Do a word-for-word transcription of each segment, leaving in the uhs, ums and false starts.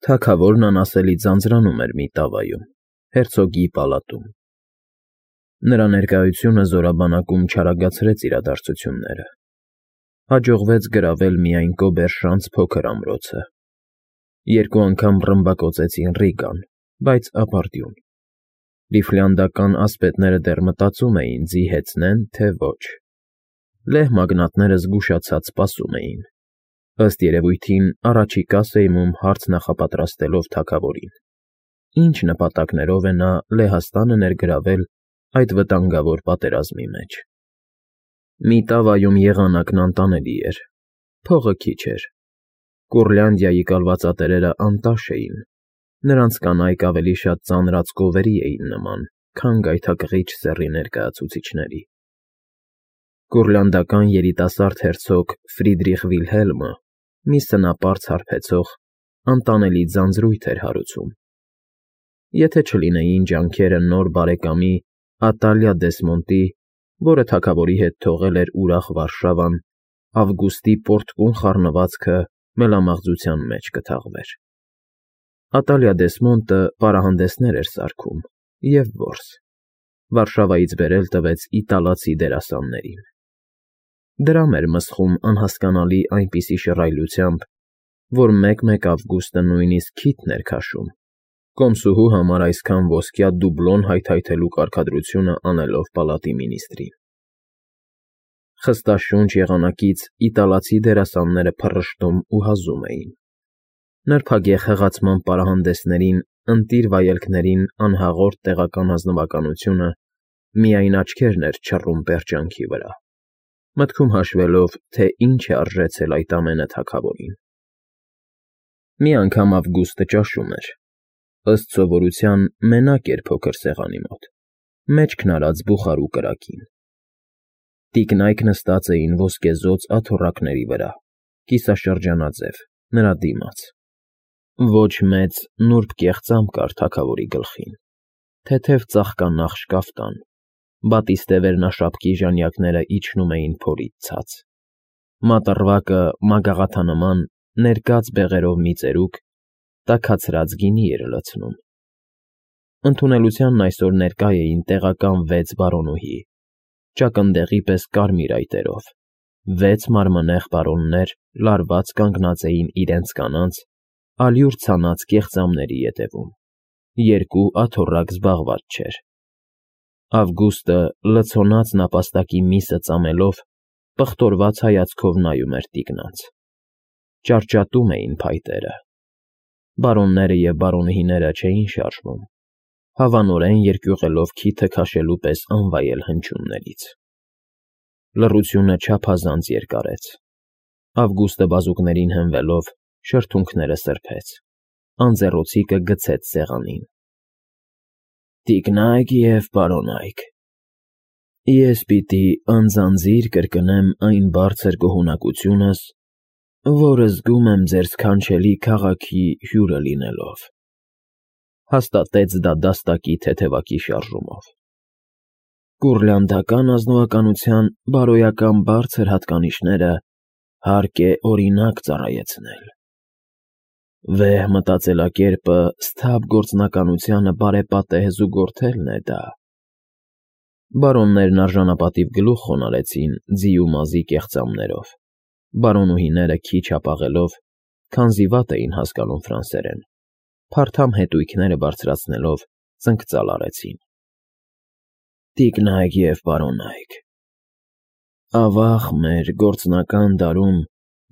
Թագավորն անասելի ձանձրանում էր մի տավայում, հերցոգի պալատում։ Նրա ներկայությունը զորաբանակում չարագացրեց իրադարձությունները։ Հաջողվեց գրավել միայն Կոբերշանց փոքր ամրոցը։ Երկու անգամ ռմբակոծեցին Ռիգան, բայց ապարդյուն։ Լիֆլանդական ասպետները դեռ մտածում էին՝ ձիհեցնեն, թե ոչ։ Լեհ մագնատները զգուշացած սպասում էին, ըստ երևույթին առաջիկա սերմում հարց նախապատրաստելով թագավորին։ Ինչ նպատակներով է նա Լեհաստանը ներգրավել այդ վտանգավոր պատերազմի մեջ։ Մի տավայում եղանակն անտանելի էր, փողը քիչ էր։ Կուրլանդիայի կալվածատերերը անտաշ էին, նրանց կանայք ավելի շատ ծանրածկովերի էին նման, քան գայթակղիչ սեռի ներկայացուցիչների։ Կուրլանդական երիտասարդ հերցոգ Ֆրիդրիխ Վիլհելմը մի սնապարծ հարբեցող, անտանելի ձանձրույթ էր հարուցում։ Եթե չլինեին ջանքերը նոր բարեկամի Ատալիա Դեսմոնտի, որը թագավորի հետ թողել էր ուրախ Վարշավան, Ավգուստի պոռթկուն խառնվածքը մելամաղձության մեջ կթաղվեր։ Ատալիա Դեսմոնտը պարահանդեսներ էր սարքում և որս, Վարշավայից բերել տվեց իտալացի դերասաններին։ Դրամ էր մսխում անհասկանալի այնպիսի շռայլությամբ, որ մեկ֊մեկ Ավգուստը նույնիսկ քիթն էր քաշում, կոմսուհու համար այսքան ոսկյա դուբլոն հայթայթելու կարգադրությունը անելով պալատի մինիստրին։ Խստաշունչ եղանակից իտալացի դերասանները փռշտում ու հազում էին։ Նրբագեղ հղացման պարահանդեսներին, ընտիր վայելքներին անհաղորդ տեղական ազնվականությունը միայն աչքերն էր չռում պերճանքի վրա, մտքում հաշվելով, թե ինչ է արժեցել այդ ամենը թագավորին։ Մի անգամ Ավգուստը ճաշում էր, ըստ սովորության մենակ էր փոքր սեղանի մոտ, մեջքն արած բուխարու կրակին։ Տիկնայք նստած էին ոսկեզօծ աթոռակների վրա, կիսաշրջանաձև, նրա դիմաց։ Ոչ մեծ, նուրբ կեղծամ կար թագավորի գլխին, թեթև ծաղկանախշ կաֆտան, բատիստե վերնաշապկի ժանյակները իջնում էին փորից ցած։ Մատռվակը մագաղաթանման, ներկած բեղերով մի ծերուկ, տաքացրած գինի էր լցնում։ Ընդունելությանն այսօր ներկա էին տեղական վեց բարոնուհի, ճակնդեղի պես կարմիր այտերով, վեց մարմնեղ բարոններ լարված կանգնած էին իրենց կանանց, ալյուր ցանած կեղծամների ետևում, երկու աթոռակ զբաղված չէր։ Ավգուստը լցոնած նապաստակի միսը ծամելով, պղտորված հայացքով նայում էր տիկնանց։ Ճարճատում էին փայտերը։ Բարոնները և բարոնուհիները չէին շարժվում, հավանորեն երկյուղելով քիթը քաշելու պես անվայել հնչյուններից։ Լռությունը չափազանց երկարեց։ Ավգուստը բազուկներին հենվելով, շրթունքները սրբեց, անձեռոցիկը գցեց սեղանին։ Տիկնայք և պարոնայք, ես պիտի անձանձիր կրկնեմ այն բարձր գոհունակությունս, որը զգում եմ ձեր սքանչելի քաղաքի հյուրը լինելով, հաստատեց դա դաստակի թեթևակի շարժումով։ Կուրլանդական ազնվականության բարոյական բարձր հատկանիշները հարկ է օրինակ ծառայեցնել։ Վեհ մտածելակերպը սթաբ գործնականությանը բարեպատեհ զուգորդելն է դա։ Բարոններն արժանապատիվ գլուխ խոնարհեցին ձի ու մազի կեղծամներով, բարոնուհիները քիչ հապաղելով, քանզի վատ էին հասկանում ֆրանսերեն, փարթամ հետույքները բարձրացնելով ծնկծալ արեցին։ Տիկնայք և պարոնայք, ավաղ մեր գործնական դարում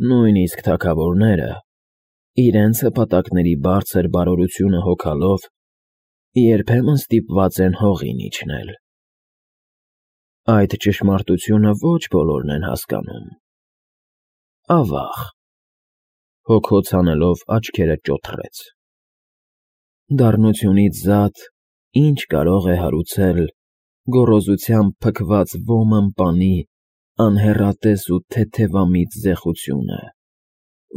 նույնիսկ թագավորները, իրենց հպատակների բարձր բարօրությունը հոգալով, երբեմն ստիպված են հողին իջնել։ Այդ ճշմարտությունը ոչ բոլորն են հասկանում։ Ավաղ, հոգոց հանելով աչքերը ճոթռեց։ Դառնությունից զատ ինչ կարող է հարուցել գոռոզությամբ փքված ոմն պանի անհեռատես ու թեթևամիտ զեղությունը,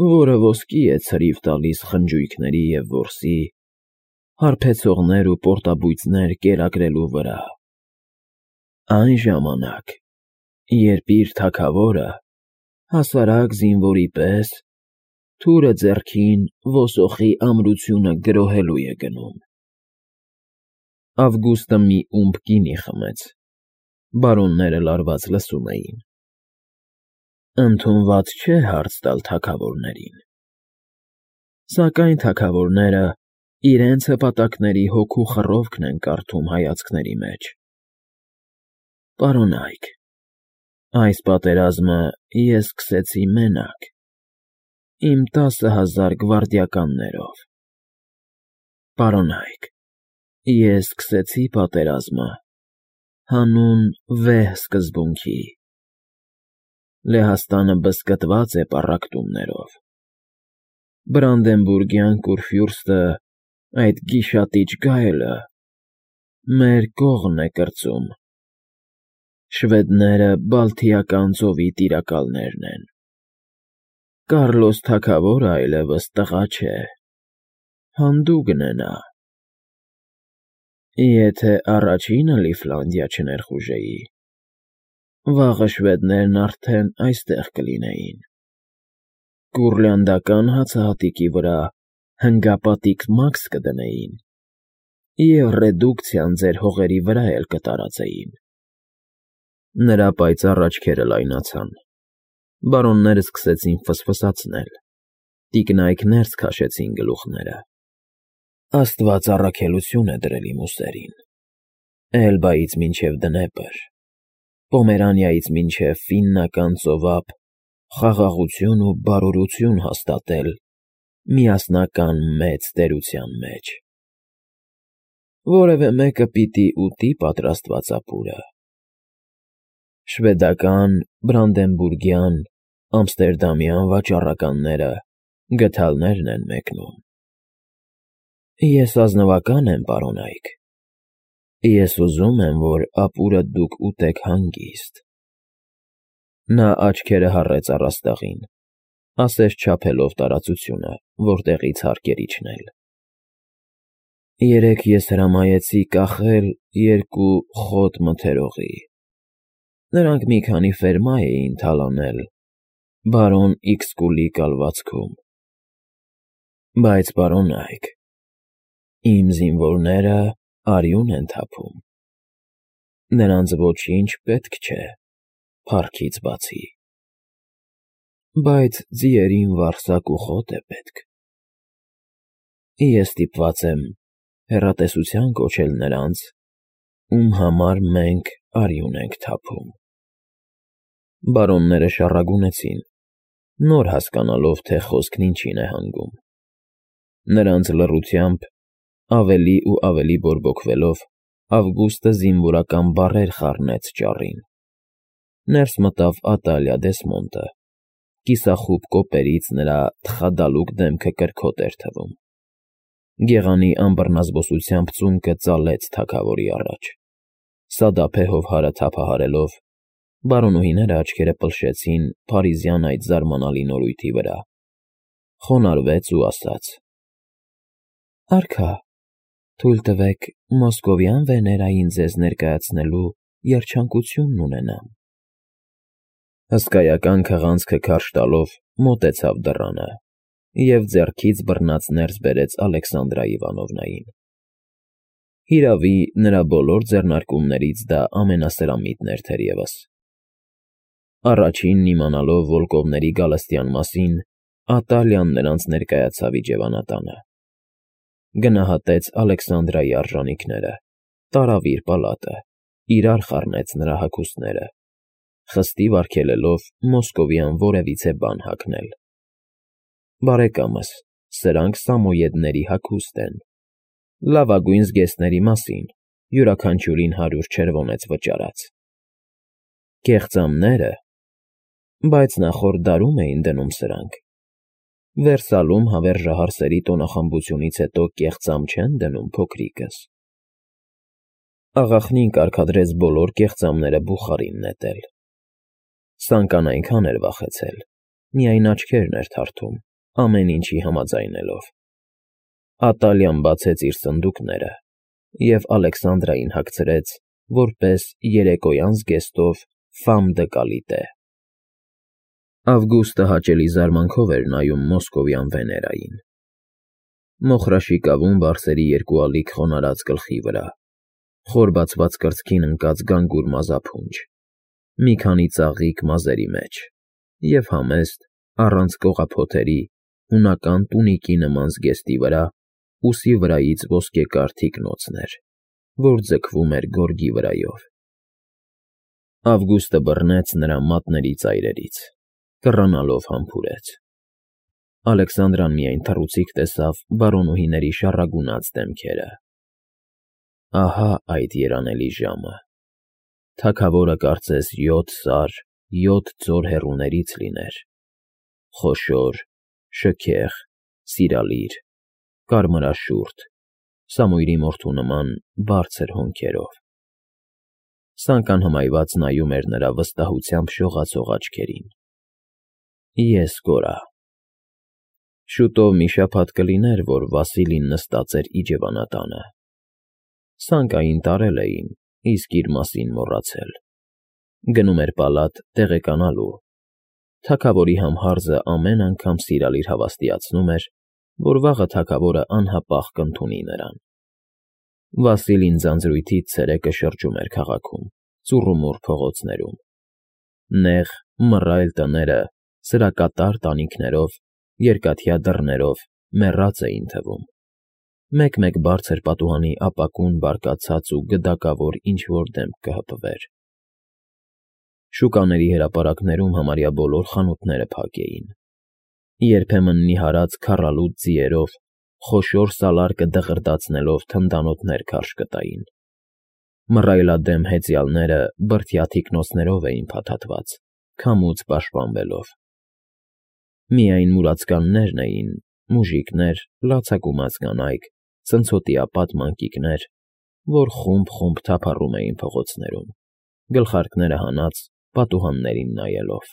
որը ոսկի է ցրիվ տալիս խնջույքների և որսի, հարբեցողներ ու պորտաբույծներ կերակրելու վրա։ Այն ժամանակ, երբ իր թագավորը, հասարակ զինվորի պես, թուրը ձեռքին ոսոխի ամրությունը գրոհելու է գնում։ Ավգուստը մի ումբ գինի խմեց, բարոնները լարված լսում էին։ Ընդունված չէ հարց տալ թագավորներին, սակայն թագավորները իրենց հպատակների հոգու խռովքն են կարդում հայացքների մեջ։ Պարոնայք, այս պատերազմը ես սկսեցի մենակ, իմ տասը հազար գվարդիականներով։ Պարոնայք, ես սկսեցի պատերազմը հանուն վեհ սկզբունքի։ Լեհաստանը բզկտված է պառակտումներով։ Բրանդենբուրգյան կուրֆյուրստը, այդ գիշատիչ գայլը, մեր կողմն է կրծում։ Շվեդները Բալթիական ծովի տիրակալներն են։ Կառլոս թագավորը այլևս տղա չէ, հանդուգն է նա։ Եթե առաջինը Լիֆլանդիա չներխուժեի, վաղը շվեդներն արդեն այստեղ կլինեին, կուռլեանդական հացահատիկի վրա հնգապատիկ մաքս կդնեին և ռեդուկցիան ձեր հողերի վրա էլ կտարածեին։ Նրա պայծառ աչքերը լայնացան, բարոններն սկսեցին ֆսֆսացնել, տիկնայք ներս քաշեցին գլուխները։ Աստված առաքելություն է դրել իմ ուսերին, Էլբայից մինչև Դնեպր, Պոմերանիայից մինչև Ֆիննական ծովափ խաղաղություն ու բարօրություն հաստատել միասնական մեծ տերության մեջ։ Որևէ մեկը պիտի ուտի պատրաստված ապուրը։ Շվեդական, բրանդենբուրգյան, ամստերդամյան վաճառականները գդալներն են մեկնում։ Ես ազնվական եմ, պարոնայք, ես ուզում եմ, որ ապուրը դուք ուտեք հանգիստ։ Նա աչքերը հառեց առաստաղին, ասես չափելով տարածությունը, որտեղից հարկ էր իջնել։ Երեկ ես հրամայեցի կախել երկու խոտ մթերողի։ Նրանք մի քանի ֆերմա էին թալանել բարոն Իքսկուլի կալվածքում։ Բայց, պարոնայք, իմ զինվորները արյուն են թափում։ Նրանց ոչինչ պետք չէ, փառքից բացի։ Բայց ձիերին վարսակ ու խոտ է պետք։ Ես ստիպված եմ հեռատեսության կոչել նրանց, ում համար մենք արյուն ենք թափում։ Բարոնները շառագունեցին, նոր հասկանալով, թե խոսքն ինչին է հանգում։ Նրանց լռությամբ, ավելի ու ավելի բորբոքվելով, Ավգուստը զինվորական բառեր խառնեց ճառին։ Ներս մտավ Ատալիա Դեսմոնտը, կիսախուբ կոպերից նրա թխադալուկ դեմքը կրքոտ էր թվում։ Գեղանի անբռնազբոսությամբ ծունկը ծալեց թագավորի առաջ, սադափեհով հարը թափահարելով, բարոնուհիները աչքերը պլշեցին փարիզյան այդ զարմանալի նորույթի վրա, խոնարհվեց ու ասաց. Արքա, թույլ տվեք մոսկովյան Վեներային ձեզ ներկայացնելու երջանկությունն ունենամ։ Հսկայական քղանցքը քարշ տալով մոտեցավ դռանը և ձեռքից բռնած ներս բերեց Ալեքսանդրա Իվանովնային։ Հիրավի, նրա բոլոր ձեռնարկումներից դա ամենասրամիտն էր թերևս։ Առաջինն իմանալով Վոլկովների գալստյան մասին, Ատալիան նրանց ներկայացավ իջևանատանը։ Գնահատեց Ալեքսանդրայի արժանիքները, տարավ իր պալատը, իրար խառնեց նրա հագուստները, խստի վարգելելով մոսկովյան որևիցե բան հագնել։ Բարեկամս, սրանք Սամոյեդների հագուստ են, լավագույն զգեստների մասին, յուրաքանչյուրին հարյուր չերվոնեց վճարած։ Կեղծամները, բայց նախորդ դարում էին դնում սրանք։ Վերսալում հավերժահար սերի տոնախմբությունից հետո կեղծամ չեն դնում, փոքրիկս։ Աղախնին կարգադրեց բոլոր կեղծամները բուխարին նետել։ Սանկան այնքան էր վախեցել, միայն աչքերն էր թարթում, ամեն ինչի համաձայնելով։ Ատալիան բացեց իր սնդուկները և Ալեքսանդրային հագցրեց, որպես երեկոյան զգեստով ֆամ դը կալիտե։ Ավգուստը հաճելի զարմանքով էր նայում մոսկովյան Վեներային. մոխրաշիկավում բարձերի երկու ալիք խոնարհած գլխի վրա, խոր բացված կրծքին ընկած գանգուր մազափունջ, մի քանի ծաղիկ մազերի մեջ և համեստ, առանց կողափոթերի, հունական տունիկի նման զգեստի վրա ուսի վրայից ոսկեկար թիկնոցն էր, որ ձգվում էր գորգի վրայով։ Ավգուստը բռնեց նրա մատների ծայրերից, կռանալով համբուրեց։ Ալեքսանդրան միայն թռուցիկ տեսավ բարոնուհիների շառագունած դեմքերը։ Ահա այդ երանելի ժամը։ Թագավորը կարծես յոթ սար, յոթ ձոր հեռուներից լիներ, խոշոր, շքեղ, սիրալիր, կարմրաշուրթ, Սամույրի մորթու նման բարձր հոնքերով։ Սանկան հմայված նայում էր նրա վստահությամբ շողացող աչքերին։ Ես կորա։ Շուտով մի շաբաթ կլիներ, որ Վասիլին նստած էր իջևանատանը։ Սանկային տարել էին, իսկ իր մասին մոռացել։ Գնում էր պալատ տեղեկանալու։ Թագավորի համհարձը ամեն անգամ սիրալիր հավաստիացնում էր, որ վաղը թագավորը անհապաղ կընդունի նրան։ Վասիլին ձանձրույթից ցերեկը շրջում էր քաղաքում, ծուռումուռ փողոցներում։ Նեղ, մռայլ տները սրակատար տանիքներով, երկաթյա դռներով մեռած էին թվում։ Մեկ-մեկ բարձր պատուհանի ապակուն բարկացած ու գդակավոր ինչ֊որ դեմք կհպվեր։ Շուկաների հրապարակներում համարյա բոլոր խանութները փակ էին։ Երբեմն նիհարած քառալուտ ձիերով, խոշոր սալարկը դղրդացնելով թնդանոթներ քարշ կտային։ Մռայլադեմ հեծյալները բրդյա թիկնոցներով էին փաթաթված, քամուց պաշտպանվելով։ Միայն մուրացկաններն էին, մուժիկներ, լացակումած կանայք, ցնցոտիապատ մանկիկներ, որ խումբ֊խումբ թափառում էին փողոցներում, գլխարկները հանած պատուհաններին նայելով։